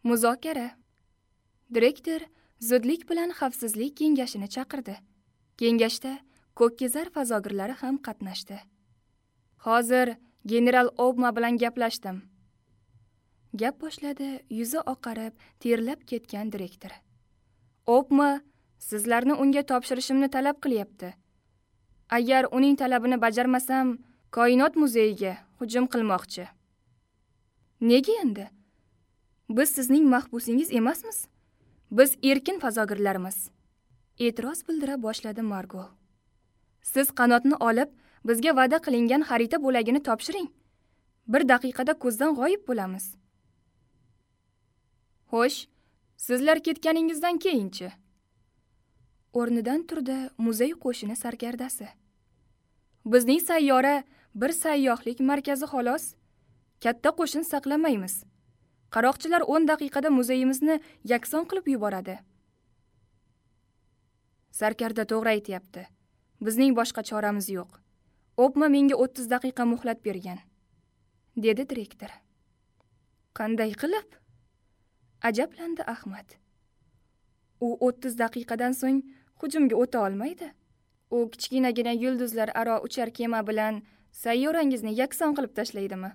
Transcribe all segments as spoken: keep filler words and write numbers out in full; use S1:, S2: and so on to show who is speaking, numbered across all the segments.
S1: Muzokara. Direktor zudlik bilan xavfsizlik kengashini chaqirdi. Kengashda ko'kkezar fazogirlari ham qatnashdi. Hozir general Obma bilan gaplashdim. Gap boshladi yuzi oqarib, terlab ketgan direktor. Obma sizlarni unga topshirishimni talab qilyapti. Agar uning talabini bajarmasam, koinot muzeyiga hujum qilmoqchi. Nega endi? Biz sizning mahbusingiz emasmiz. Biz erkin fazogirlarmiz. E'tiroz bildira boshladi Margol. Siz qanotni olib, bizga va'da qilingan xarita bo'lagini topshiring. Bir daqiqada ko'zdan g'oyib bo'lamiz. Xo'sh, sizlar ketganingizdan keyinchi? O'rnidan turdi muzey qo'shini sarkardasi. Bizning sayyora bir sayyohlik markazi xolos. Katta qo'shin saqlamaymiz. Qaroqchilar o'n daqiqada muzeyimizni yakson qilib yuboradi. Sarkarda to'g'ri aytayapti. Bizning boshqa choramiz yo'q. Obma menga o'ttiz daqiqa muhlat bergan, dedi direktor. Qanday qilib? Ajablandi Ahmad. U o'ttiz daqiqadan so'ng hujumga o'ta olmaydi. U kichkinagina yulduzlar aro uchar kema bilan sayyorangizni yakson qilib tashlaydimi?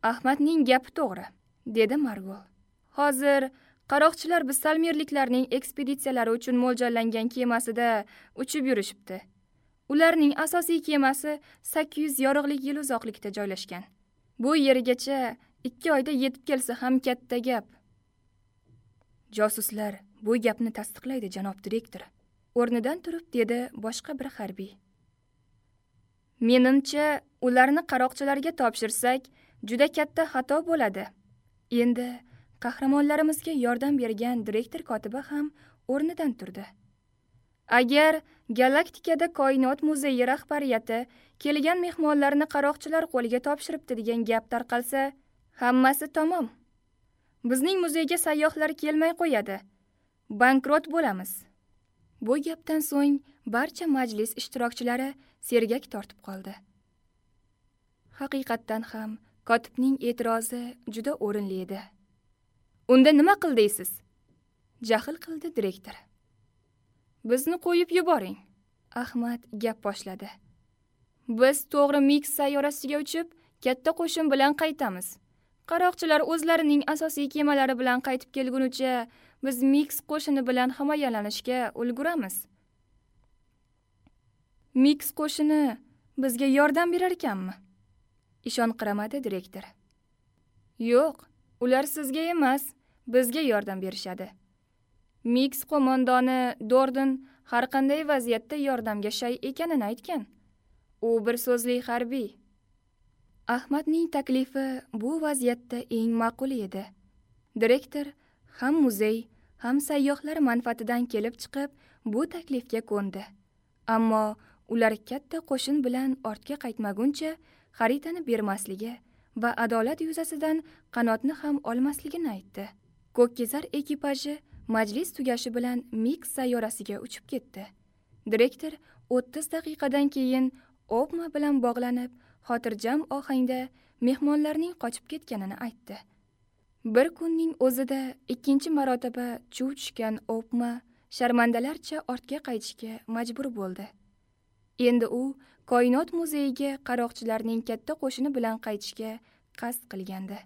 S1: Ahmadning gapi to'g'ri, dedi Margol. Hozir qaroqchilar biz salmerliklarning ekspeditsiyalari uchun mo'ljallangan kemasida uchib yurishibdi. Ularning asosiy kemasi sakkiz yuz yorug'lik yil uzoqlikda joylashgan. Bu yergacha ikki oyda yetib kelsa ham katta gap. Josuslar bu gapni tasdiqlaydi, janob direktor. O'rnidan turib dedi boshqa bir harbiy. Menimcha, ularni qaroqchilarga topshirsak, juda katta xato bo'ladi. Endi qahramonlarimizga yordam bergan direktor kotibi ham o'rnidan turdi. Agar galaktikada koinot muzeyi rahbariyati kelgan mehmonlarni qaroqchilar qo'liga topshiribdi degan gap tarqalsa, hammasi tamom. Bizning muzeyga sayyohlar kelmay qo'yadi. Bankrot bo'lamiz. Bu gapdan so'ng barcha majlis ishtirokchilari sergak tortib qoldi. Haqiqatdan ham kotibning e'tirozi juda o'rinli edi. Unda nima qil deysiz? Jahl qildi direktor. Bizni qo'yib yuboring. Ahmad gap boshladi. Biz to'g'ri Mix sayyorasiga uchib, katta qo'shin bilan qaytamiz. Qaroqchilar o'zlarining asosiy kemalari bilan qaytib kelgunicha biz Mix qo'shini bilan himoyalanishga ulguramiz. Mix qo'shini bizga yordam berar ekanmi? Ishonqiramadi direktor. Yo'q, ular sizga emas, bizga yordam berishadi. Mix qo'mondoni Dorden har qanday vaziyatda yordamga shay ekanini aytgan. U bir so'zli harbiy. Ahmadning taklifi bu vaziyatda eng ma'qul edi. Direktor ham muzey, ham sayyohlar manfaatidan kelib chiqib, bu taklifga ko'ndi. Ammo ular katta qo'shin bilan ortga qaytmaguncha xaritani bermasligi va adolat yuzasidan qanotni ham olmasligini aytdi. Ko'kkezar ekipaji majlis tugashi bilan Mix sayyorasiga uchib ketdi. Direktor o'ttiz daqiqadan keyin Obma bilan bog'lanib, xotirjam ohangda mehmonlarning qochib ketganini aytdi. Bir kunning o'zida ikkinchi marotaba chuv tushgan Obma sharmandalarcha ortga qaytishga majbur bo'ldi. Endi u koinot muzeyiga qaroqchilarning katta qo'shini bilan qaytishga qasd qilgandi.